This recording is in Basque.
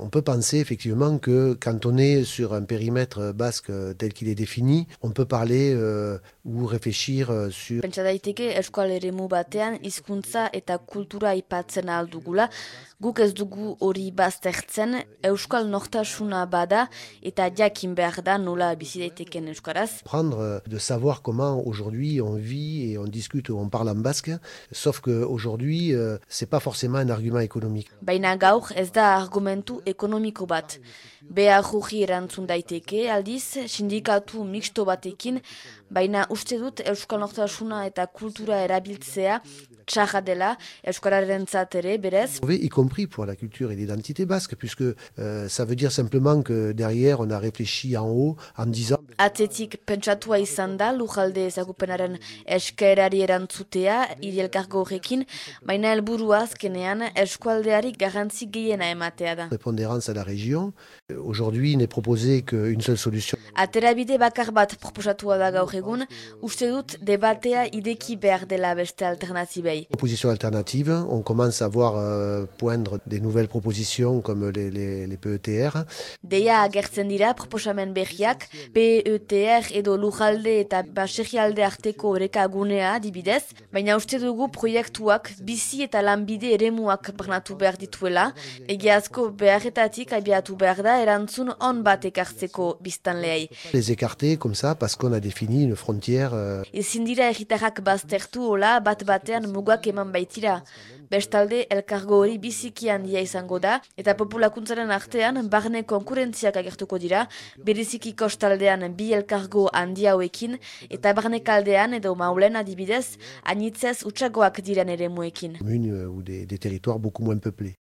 On peut penser effectivement que quand on est sur un périmètre basque tel qu'il est défini, on peut parler ou réfléchir sur... Pentsa daiteke euskal eremu batean hizkuntza eta kultura aipatzen ahal dugula, guk ez dugu hori baztertzen, euskal nortasuna bada eta jakin behar da nola bizi daiteken euskaraz. Prendre de savoir comment aujourd'hui on vit et on discute ou on parle en basque, sauf qu'aujourd'hui c'est pas forcément un argument économique. Baina gaur ez da argumentu ekonomiko bat. Behar jugi erantzun daiteke, aldiz, sindikatu mixto batekin, baina uste dut euskal nortasuna eta kultura erabiltzea txarra dela, euskararentzat ere, berez. Y compris pour la culture et l'identité basque, puisque ça veut dire simplement que derrière on a réfléchi en haut en disant... Atzetik pentsatua izan da lujalde ezagupenaren eskaerari erantzutea hiri elkargo horrekin, baina helburua azkenean eskualdeari garrantzi gehiena ematea da. Prépondérance à la région. Aujourd'hui n'est proposé qu'une seule solution. Aterabide bakar bat proposatua da gaur egun, uste dut debatea ideki behar dela beste alternatibei. Propositions alternatives, on commence à voir poindre des nouvelles propositions comme les PETR. Deia agertzen dira proposamen berriak, PETR edo lujalde eta baserrialde arteko oreka gunea adibidez, baina uste dugu proiektuak bizi eta lanbide eremuak barnatu behar dituela, egiazko beharretatik abiatu behar da erantzun on bat ekartzeko biztanleei. Les écarter comme ça parce qu'on a défini une frontière. Ezin dira herritarrak baztertu hola bat batean mugak eman baitira. Bestalde, elkargo hori biziki handia izango da, eta populakuntzaren artean barne konkurentziak agertuko dira, bereziki kostaldean bi elkargo handia hauekin, eta barnekaldean edo maulen adibidez, anitzez utxagoak diren eremuekin. Ou des territoires beaucoup moins peuplés.